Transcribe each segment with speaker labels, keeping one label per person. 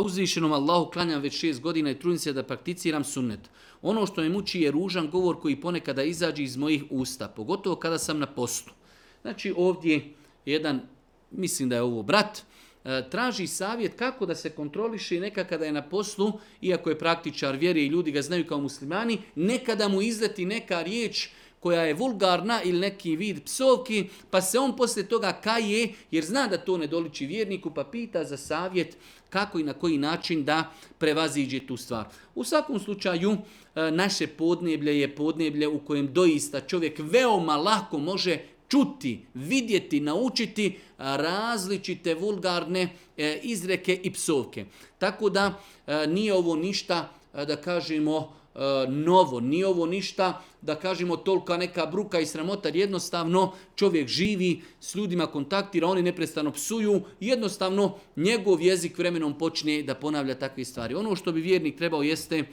Speaker 1: Uzvišenom Allahu klanjam već 6 godina i trudim se da prakticiram sunnet. Ono što me muči je ružan govor koji ponekada izađe iz mojih usta, pogotovo kada sam na postu. Znači ovdje jedan, mislim da je ovo brat, traži savjet kako da se kontroliše neka kada je na poslu, iako je praktičar vjere i ljudi ga znaju kao muslimani, nekada mu izleti neka riječ koja je vulgarna ili neki vid psovki, pa se on poslije toga kaje jer zna da to ne doliči vjerniku, pa pita za savjet kako i na koji način da prevaziđe tu stvar. U svakom slučaju, naše podneblje je podneblje u kojem doista čovjek veoma lako može čuti, vidjeti, naučiti različite vulgarne izreke i psovke. Tako da nije ovo ništa, da kažemo, novo, nije ovo ništa, da kažemo, tolika neka bruka i sramota, jednostavno čovjek živi, s ljudima kontaktira, oni neprestano psuju, jednostavno njegov jezik vremenom počne da ponavlja takve stvari. Ono što bi vjernik trebao jeste,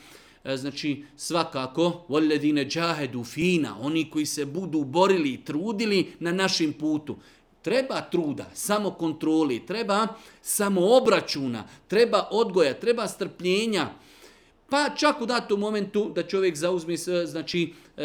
Speaker 1: znači svakako, voledine džahedu fina, oni koji se budu borili i trudili na našem putu. Treba truda, samo kontroli, treba samo obračuna, treba odgoja, treba strpljenja. Pa čak u datom momentu da čovjek zauzme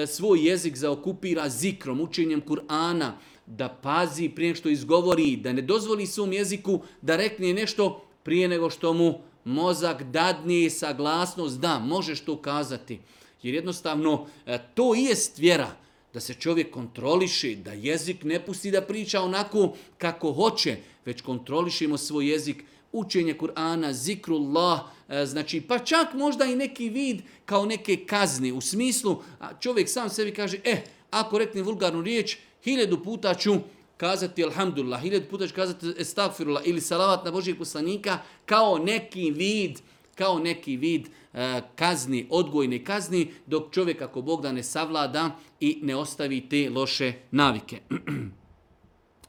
Speaker 1: svoj jezik zaokupira zikrom, učenjem Kur'ana, da pazi prije nego što izgovori, da ne dozvoli svom jeziku da rekne nešto prije nego što mu mozak dadne saglasnost da možeš to kazati. Jer jednostavno to i jest vjera, da se čovjek kontroliše, da jezik ne pusti da priča onako kako hoće, već kontrolišemo svoj jezik, učenje Kur'ana, zikrullah, znači pa čak možda i neki vid kao neke kazne, u smislu čovjek sam sebi kaže, ako rekne vulgarnu riječ, 1000 puta ću kazati alhamdulillah, 1000 puta ću kazati estagfirullah ili salavat na Božijeg poslanika kao neki vid kazni, odgojne kazni, dok čovjek ako Bog da ne savlada i ne ostavi te loše navike.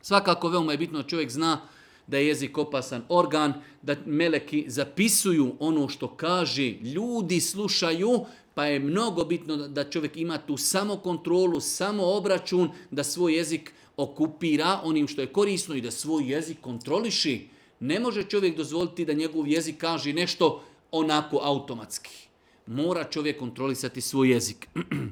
Speaker 1: Svakako veoma je bitno da čovjek zna da je jezik opasan organ, da meleki zapisuju ono što kaže, ljudi slušaju, pa je mnogo bitno da čovjek ima tu samokontrolu, samoobračun, da svoj jezik okupira onim što je korisno i da svoj jezik kontroliši. Ne može čovjek dozvoliti da njegov jezik kaže nešto onako automatski. Mora čovjek kontrolisati svoj jezik.